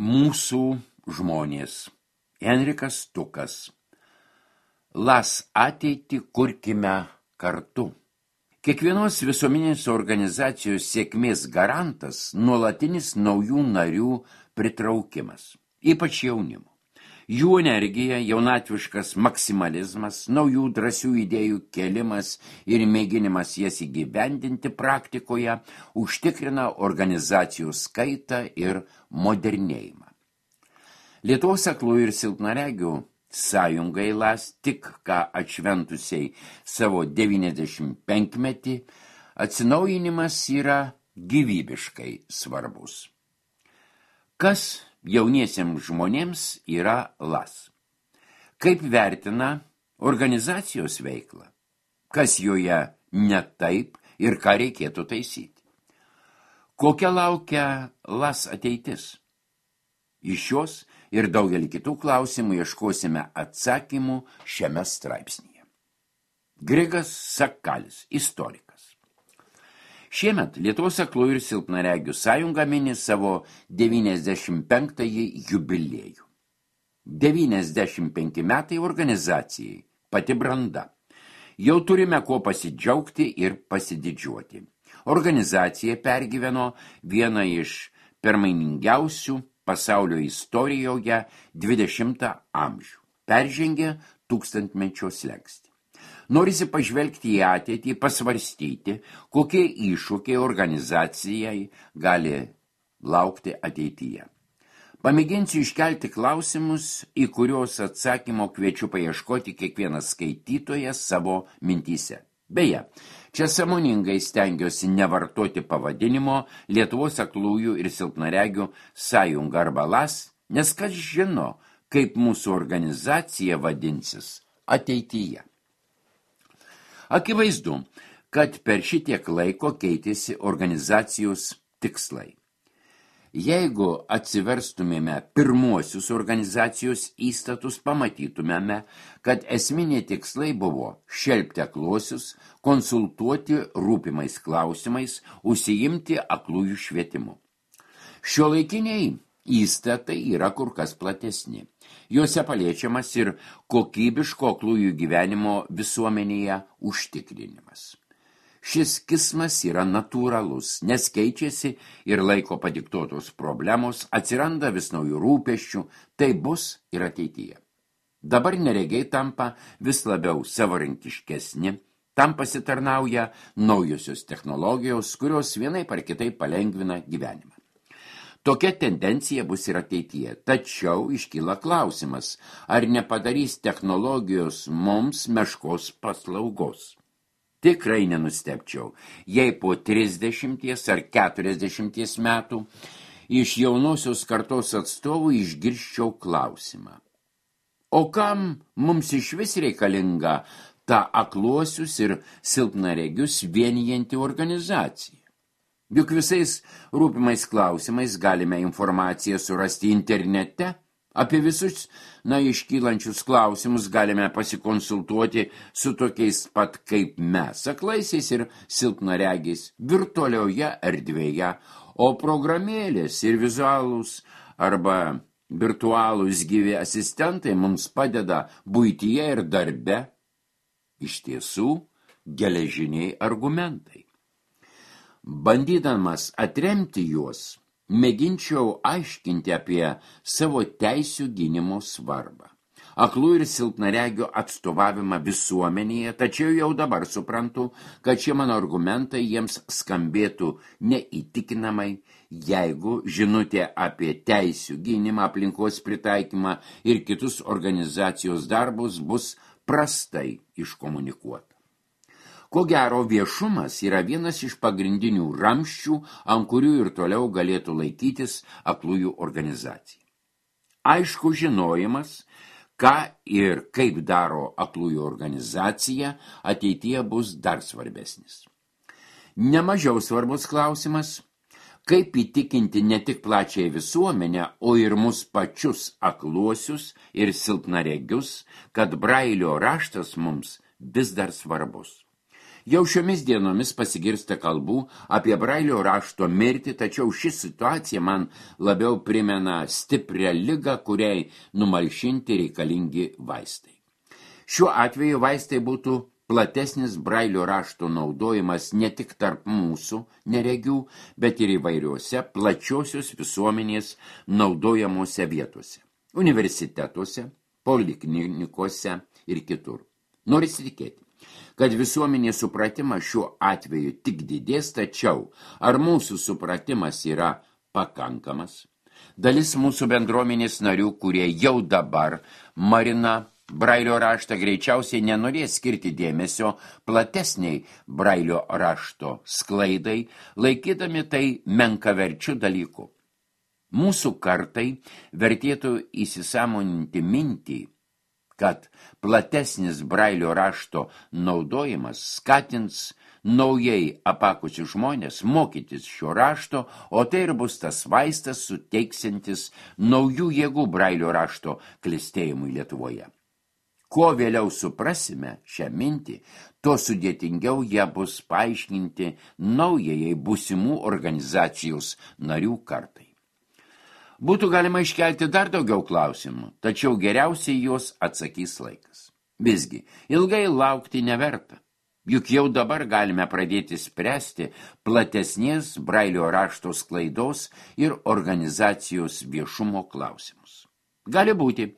Mūsų žmonės. Enrikas Tukas. Las ateitį kurkime kartu. Kiekvienos visuomeninės organizacijos sėkmės garantas nuolatinis naujų narių pritraukimas, ypač jaunimo. Jų energija, jaunatviškas maksimalizmas, naujų drąsių idėjų kėlimas ir mėginimas jas įgyvendinti praktikoje užtikrina organizacijų skaitą ir modernėjimą. Lietuvos aklųjų ir silpnaregių sąjungai LAS tik ką atšventusiai savo 95-metį atsinaujinimas yra gyvybiškai svarbus. Kas jauniesiems žmonėms yra LAS? Kaip vertina organizacijos veiklą? Kas joje ne taip ir ką reikėtų taisyti? Kokia laukia LAS ateitis? Iš šios ir daugelį kitų klausimų ieškosime atsakymų šiame straipsnyje. Grigas Sakalis, istorikas. Šiemet Lietuvos aklųjų ir silpnaregių sąjunga mini savo 95-ąjį jubiliejų. 95 metai organizacijai, pati branda. Jau turime kuo pasidžiaugti ir pasididžiuoti. Organizacija pergyveno vieną iš permainingiausių pasaulio istorijoje 20 amžių. Peržengė tūkstantmečio slenkstį. Norisi pažvelgti į ateitį, pasvarstyti, kokie iššūkiai organizacijai gali laukti ateityje. Pamėginsiu iškelti klausimus, į kuriuos atsakymo kviečiu paieškoti kiekvienas skaitytojas savo mintyse. Beje, čia sąmoningai stengiuosi nevartoti pavadinimo Lietuvos aklųjų ir silpnaregių sąjunga arba LAS, nes kas žino, kaip mūsų organizacija vadinsis ateityje. Akivaizdu, kad per šitiek laiko keitėsi organizacijos tikslai. Jeigu atsiverstumėme pirmuosius organizacijos įstatus, pamatytumėme, kad esminiai tikslai buvo šelpti akluosius, konsultuoti rūpimais klausimais, užsiimti aklųjų švietimu. Šiuolaikiniai įstatai yra kur kas platesni. Juose paliečiamas ir kokybiško aklųjų gyvenimo visuomenėje užtikrinimas. Šis kismas yra natūralus, nes keičiasi ir laiko padiktuotos problemos, atsiranda vis naujų rūpesčių, tai bus ir ateityje. Dabar neregiai tampa vis labiau savarankiškesni, tam pasitarnauja naujosios technologijos, kurios vienaip ar kitaip palengvina gyvenimą. Tokia tendencija bus ir ateityje, tačiau iškyla klausimas, ar nepadarys technologijos mums meškos paslaugos. Tikrai nenustebčiau, jei po 30 ar 40 metų iš jaunosios kartos atstovų išgirsčiau klausimą. O kam mums išvis reikalinga ta akluosius ir silpnaregius vienijanti organizacija? Juk visais rūpimais klausimais galime informaciją surasti internete. Apie visus iškylančius klausimus galime pasikonsultuoti su tokiais pat kaip mes, aklaisiais ir silpnaregiais, virtualioje erdvėje, o programėlės ir vizualūs arba virtualūs gyvi asistentai mums padeda buityje ir darbe. Iš tiesų, geležiniai argumentai. Bandydamas atremti juos, mėginčiau aiškinti apie savo teisių gynimo svarbą. Aklų ir silpnaregių atstovavimą visuomenėje, tačiau jau dabar suprantu, kad šie mano argumentai jiems skambėtų neįtikinamai, jeigu žinutė apie teisių gynimą, aplinkos pritaikymą ir kitus organizacijos darbus bus prastai iškomunikuota. Ko gero, viešumas yra vienas iš pagrindinių ramsčių, ant kurių ir toliau galėtų laikytis aklųjų organizacija. Aišku, žinojimas, ką ir kaip daro aklųjų organizacija, ateityje bus dar svarbesnis. Nemažiau svarbus klausimas, kaip įtikinti ne tik plačiai visuomenę, o ir mus pačius akluosius ir silpnaregius, kad Brailio raštas mums vis dar svarbus. Jau šiomis dienomis pasigirsta kalbų apie Brailio rašto mirtį, tačiau ši situacija man labiau primena stiprią ligą, kuriai numalšinti reikalingi vaistai. Šiuo atveju vaistai būtų platesnis Brailio rašto naudojimas ne tik tarp mūsų neregių, bet ir įvairiuose plačiosios visuomenės naudojamuose vietose, universitetuose, poliklinikose ir kitur. Norisi tikėti, kad visuomenės supratimas šiuo atveju tik didės, tačiau ar mūsų supratimas yra pakankamas? Dalis mūsų bendruomenės narių, kurie jau dabar marina Brailio raštą, greičiausiai nenorės skirti dėmesio platesniai Brailio rašto sklaidai, laikydami tai menkaverčių dalyku. Mūsų kartai vertėtų įsisąmoninti mintį, kad platesnis Brailio rašto naudojimas skatins naujai apakusius žmonės mokytis šio rašto, o tai ir bus tas vaistas suteiksintis naujų jėgų Brailio rašto klestėjimui Lietuvoje. Kuo vėliau suprasime šią mintį, tuo sudėtingiau ją bus paaiškinti naujajai būsimų organizacijos narių kartai. Būtų galima iškelti dar daugiau klausimų, tačiau geriausiai juos atsakys laikas. Visgi, ilgai laukti neverta, juk jau dabar galime pradėti spręsti platesnės Brailio rašto sklaidos ir organizacijos viešumo klausimus. Gali būti,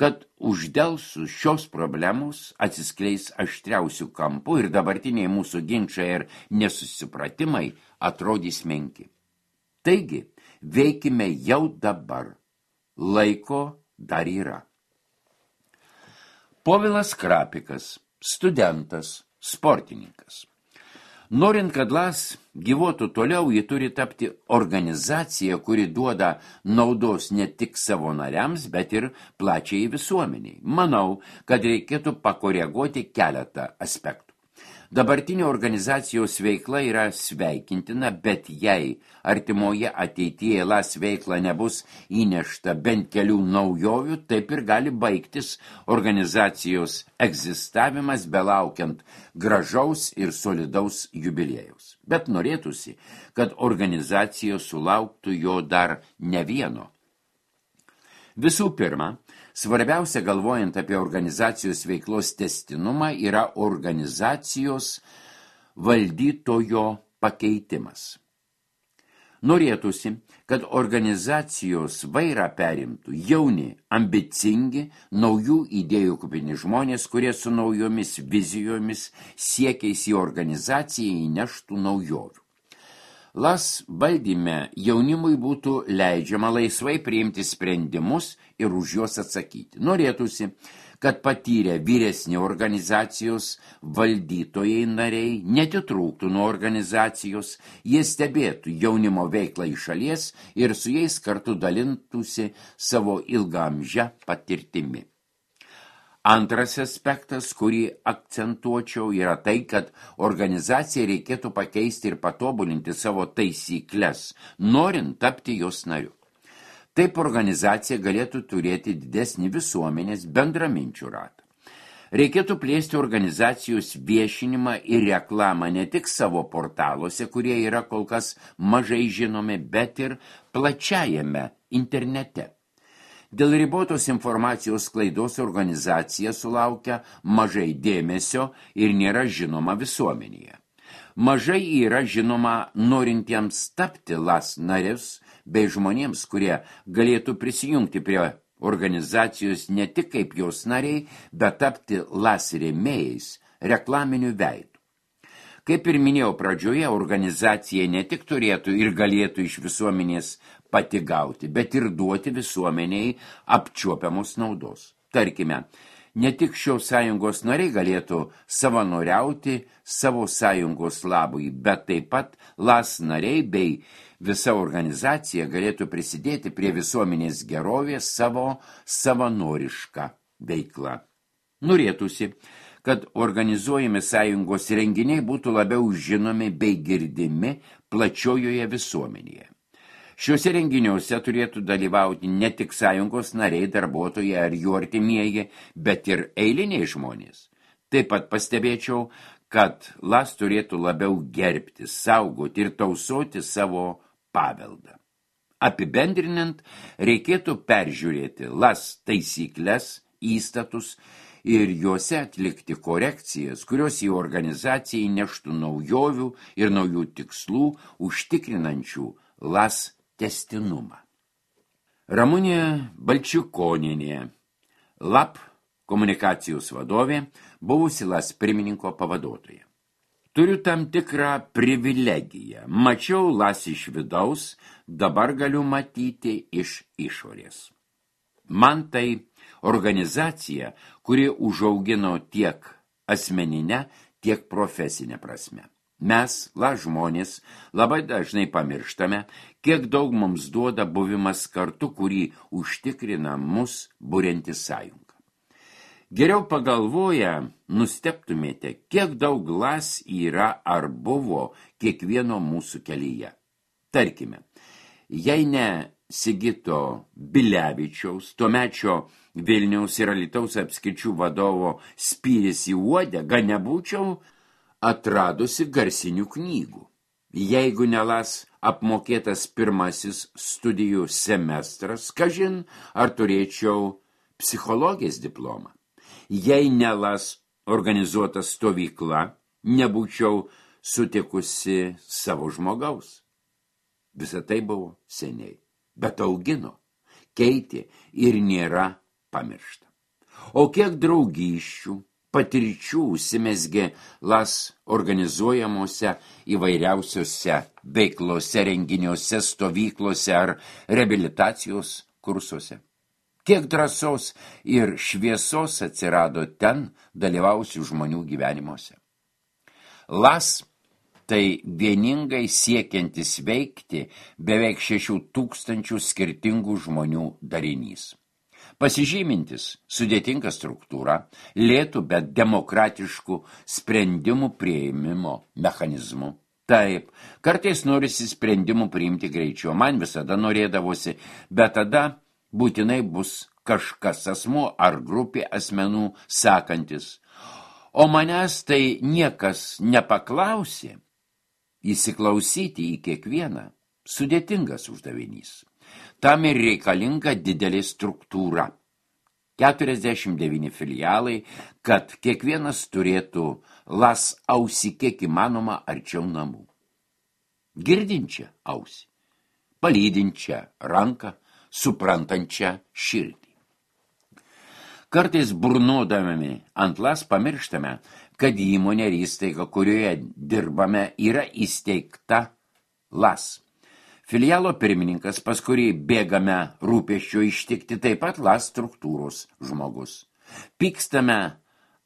kad uždelsus šios problemos atsiskleis aštriausių kampų ir dabartiniai mūsų ginčai ir nesusipratimai atrodys menki. Taigi, veikime jau dabar. Laiko dar yra. Povilas Krapikas, studentas, sportininkas. Norint, kad LAS gyvuotų toliau, ji turi tapti organizacija, kuri duoda naudos ne tik savo nariams, bet ir plačiai visuomeniai. Manau, kad reikėtų pakoreguoti keletą aspektų. Dabartinė organizacijos veikla yra sveikintina, bet jei artimoje ateityje LAS veikla nebus įnešta bent kelių naujovių, taip ir gali baigtis organizacijos egzistavimas belaukiant gražaus ir solidaus jubiliejaus. Bet norėtųsi, kad organizacija sulauktų jo dar ne vieno. Visų pirma, svarbiausia galvojant apie organizacijos veiklos testinumą yra organizacijos valdytojo pakeitimas. Norėtųsi, kad organizacijos vairą perimtų jauni, ambicingi, naujų idėjų kupini žmonės, kurie su naujomis vizijomis siekiais į organizaciją įneštų naujovių. LAS valdyme jaunimui būtų leidžiama laisvai priimti sprendimus ir už juos atsakyti. Norėtųsi, kad patyrę vyresni organizacijos valdytojai nariai netitrūktų nuo organizacijos, jie stebėtų jaunimo veiklą iš šalies ir su jais kartu dalintųsi savo ilgaamžę patirtimi. Antras aspektas, kurį akcentuočiau, yra tai, kad organizacijai reikėtų pakeisti ir patobulinti savo taisykles, norint tapti jos nariu. Taip organizacija galėtų turėti didesnį visuomenės bendraminčių ratą. Reikėtų plėsti organizacijos viešinimą ir reklamą ne tik savo portaluose, kurie yra kol kas mažai žinomi, bet ir plačiajame internete. Dėl ribotos informacijos sklaidos organizacija sulaukia mažai dėmesio ir nėra žinoma visuomenėje. Mažai yra žinoma norintiems tapti LAS narius bei žmonėms, kurie galėtų prisijungti prie organizacijos ne tik kaip jos nariai, bet tapti LAS rėmėjais, reklaminiu veidu. Kaip ir minėjau pradžioje, organizacija ne tik turėtų ir galėtų iš visuomenės pati gauti, bet ir duoti visuomeniai apčiuopiamos naudos. Tarkime, ne tik šios sąjungos nariai galėtų savanoriauti savo sąjungos labui, bet taip pat LAS nariai bei visa organizacija galėtų prisidėti prie visuomenės gerovės savo savanorišką veiklą. Norėtųsi, kad organizuojami sąjungos renginiai būtų labiau žinomi bei girdimi plačiojoje visuomenėje. Šiuose renginiuose turėtų dalyvauti ne tik sąjungos nariai, darbuotojai ar jų artimieji, bet ir eiliniai žmonės. Taip pat pastebėčiau, kad LAS turėtų labiau gerbti, saugoti ir tausoti savo paveldą. Apibendrinant, reikėtų peržiūrėti LAS taisyklės, įstatus ir juose atlikti korekcijas, kurios į organizaciją įneštų naujovių ir naujų tikslų, užtikrinančių LAS tęstinumą. Ramunė Balčikonienė, LAP komunikacijos vadovė, buvusi LAS pirmininko pavaduotoja. Turiu tam tikrą privilegiją. Mačiau LAS iš vidaus, dabar galiu matyti iš išorės. Man tai organizacija, kuri užaugino tiek asmeninę, tiek profesinę prasme. Mes, LAS žmonės, labai dažnai pamirštame, kiek daug mums duoda buvimas kartu, kurį užtikrina mus burianti sąjunga. Geriau pagalvoję, nustebtumėte, kiek daug LAS yra ar buvo kiekvieno mūsų kelyje. Tarkime, jei ne Sigito Bilevičiaus, tuomečio Vilniaus ir Alytaus apskričių vadovo spyris į uodegą, nebūčiau atradusi garsinių knygų. Jeigu ne LAS apmokėtas pirmasis studijų semestras, kažin, ar turėčiau psichologijos diplomą. Jei ne LAS organizuota stovykla, nebūčiau sutikusi savo žmogaus. Visa tai buvo seniai, bet augino, keitė ir nėra pamiršta. O kiek draugysčių, patirčių užsimezgė LAS organizuojamuose įvairiausiose veiklose, renginiuose, stovyklose ar reabilitacijos kursuose. Kiek drąsos ir šviesos atsirado ten dalyvausių žmonių gyvenimuose. LAS tai vieningai siekiantis veikti beveik 6,000 skirtingų žmonių darinys. Pasižymintis sudėtingą struktūrą, lėtų, bet demokratiškų sprendimų priėmimo mechanizmų. Taip, kartais norisi sprendimų priimti greičiau, man visada norėdavosi, bet tada būtinai bus kažkas asmuo ar grupė asmenų sakantis. O manęs tai niekas nepaklausė. Įsiklausyti į kiekvieną sudėtingas uždavinys. Tam ir reikalinga didelė struktūra. 49 filialai, kad kiekvienas turėtų LAS ausį kiek įmanoma arčiau namų. Girdinčią ausį, palydinčią ranką, suprantančią širdį. Kartais burnodami ant LAS pamirštame, kad įmonė ir įstaiga, kurioje dirbame, yra įsteigta LAS. Filialo pirmininkas, pas kurį bėgame rūpesčio ištikti, taip pat LAS struktūros žmogus. Pykstame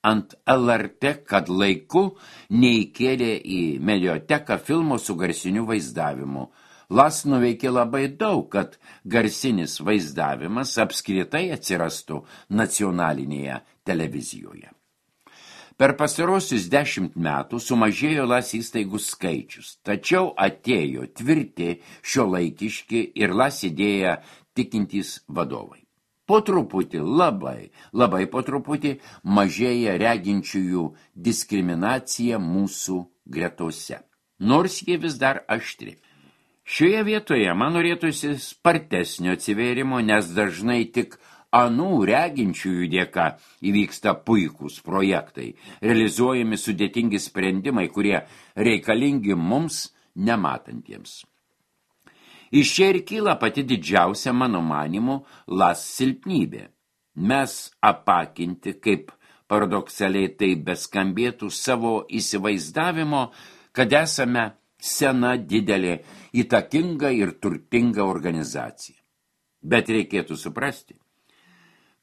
ant LRT, kad laiku neįkėlė į medioteką filmo su garsiniu vaizdavimu. LAS nuveikė labai daug, kad garsinis vaizdavimas apskritai atsirastų nacionalinėje televizijoje. Per pastarosius 10 metų sumažėjo LAS įstaigų skaičius, tačiau atėjo tvirti šiuolaikiški ir LAS idėją tikintys vadovai. Po truputį, labai po truputį mažėja reginčiųjų diskriminacija mūsų gretose, nors jie vis dar aštri. Šioje vietoje man norėtųsi spartesnio atsivėrimo, nes dažnai tik anų reginčiųjų dėka įvyksta puikūs projektai, realizuojami sudėtingi sprendimai, kurie reikalingi mums nematantiems. Iš čia ir kyla pati didžiausia, mano manymu, LAS silpnybė. Mes apakinti, kaip paradoksaliai tai beskambėtų, savo įsivaizdavimo, kad esame sena, didelė, įtakinga ir turtinga organizacija. Bet reikėtų suprasti,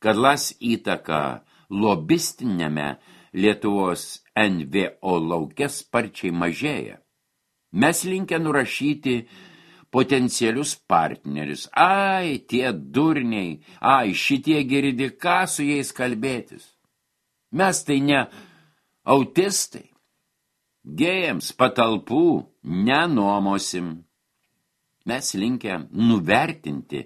kad LAS įtaka lobistinėme Lietuvos NVO lauke sparčiai mažėja. Mes linkę nurašyti potencialius partnerius. Ai, tie durniai, šitie girdi, ką su jais kalbėtis. Mes tai ne autistai. Gėjams patalpų nenuomosim. Mes linkę nuvertinti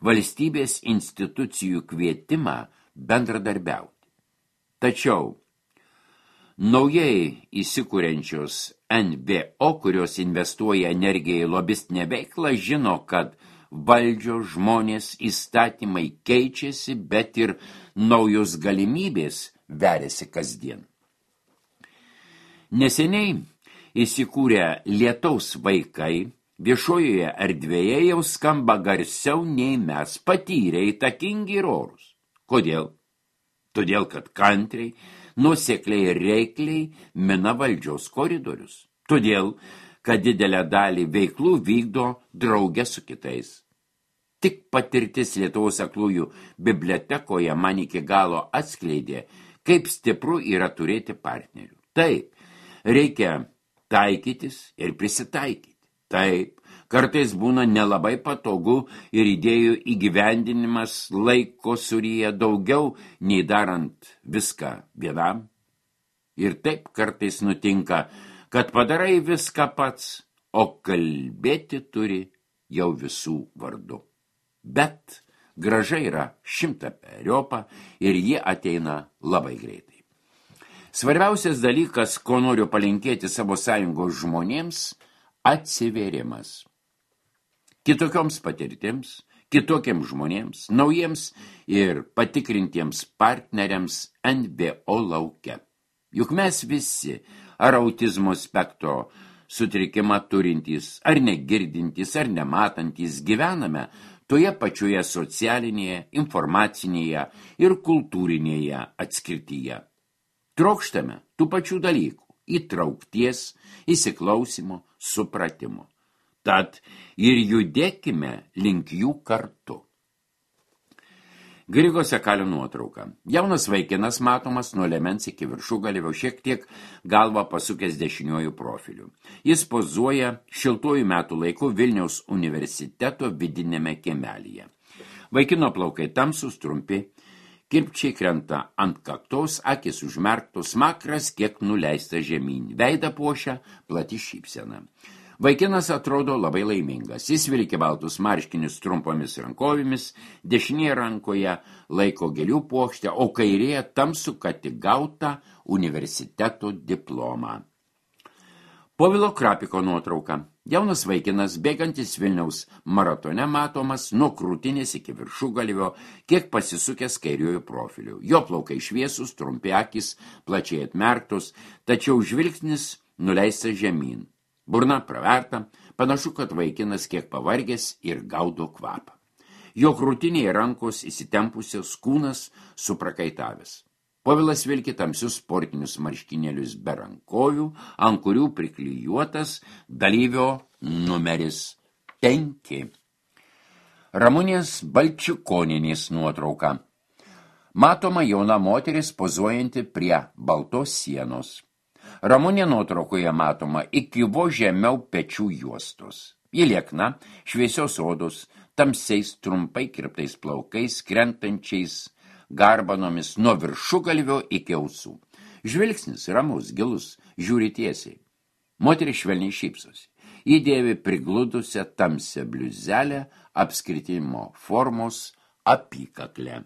valstybės institucijų kvietimą bendradarbiauti. Tačiau Naujai įsikuriančios NVO, kurios investuoja energiją į lobistinę veiklą, žino, kad valdžios, žmonės, įstatymai keičiasi, bet ir naujos galimybės veriasi kasdien. Neseniai įsikūrę lietaus vaikai viešojoje erdvėje jau skamba garsiau nei mes, patyrę, įtakingi ir orus. Kodėl? Todėl, kad kantriai, nuosekliai ir reikliai mina valdžios koridorius. Todėl, kad didelę dalį veiklų vykdo drauge su kitais. Tik patirtis Lietuvos aklųjų bibliotekoje man iki galo atskleidė, kaip stipru yra turėti partnerių. Taip, reikia taikytis ir prisitaikyti. Taip, kartais būna nelabai patogu ir idėjų įgyvendinimas laiko suryja daugiau, nei darant viską vienam. Ir taip kartais nutinka, kad padarai viską pats, o kalbėti turi jau visų vardu. Bet grąža yra 100-periopa ir ji ateina labai greitai. Svarbiausias dalykas, ko noriu palinkėti savo sąjungos žmonėms, atsivėrimas. Kitokioms patirtims, kitokiems žmonėms, naujiems ir patikrintiems partneriams NVO lauke. Juk mes visi, ar autizmo spektro sutrikimą turintys, ar negirdintys, ar nematantys, gyvename toje pačioje socialinėje, informacinėje ir kultūrinėje atskirtyje. Trokštame tų pačių dalykų – įtraukties, įsiklausimo, supratimo. Tad ir judėkime link jų kartu. Grigo Sekalio nuotrauka. Jaunas vaikinas matomas nuo liemens iki viršugalvio, šiek tiek galvą pasukęs dešiniuoju profiliu. Jis pozuoja šiltuoju metų laiku Vilniaus universiteto vidinėme kiemelyje. Vaikino plaukai tamsūs, trumpi, kirpčiai krenta ant kaktos, akis užmerktos, smakras kiek nuleista žemyn, veidą puošia plati šypsena. Vaikinas atrodo labai laimingas. Jis vilki baltus marškinius trumpomis rankovėmis, dešinėje rankoje laiko gėlių puokštę, o kairėje tamsų ką tik gautą universiteto diplomą. Povilo Krapiko nuotrauka. Jaunas vaikinas, bėgantis Vilniaus maratone, matomas nuo krūtinės iki viršugalvio, kiek pasisukęs kairiuoju profiliu. Jo plaukai šviesūs, trumpi akys, plačiai atmerktos, tačiau žvilgsnis nuleistas žemyn. Burna praverta, panašu, kad vaikinas kiek pavargęs ir gaudo kvapą. Jo krūtinėje rankos įsitempusios, kūnas suprakaitavęs. Povilas vilki tamsius sportinius marškinėlius be rankovių, ant kurių priklijuotas dalyvio numeris 5. Ramunės Balčikonienės nuotrauka. Matoma jauna moteris pozuojanti prie baltos sienos. Ramunė nuotraukoje matoma iki vos žemiau pečių juostos. Ji liekna, šviesios odos, tamsiais trumpai kirptais plaukais, krentančiais garbanomis nuo viršugalvio iki ausų. Žvilgsnis ramus, gilus, žiūri tiesiai. Moteris švelniai šypsosi. Ji dėvi prigludusią tamsią bliuzelę apskritimo formos apykaklę.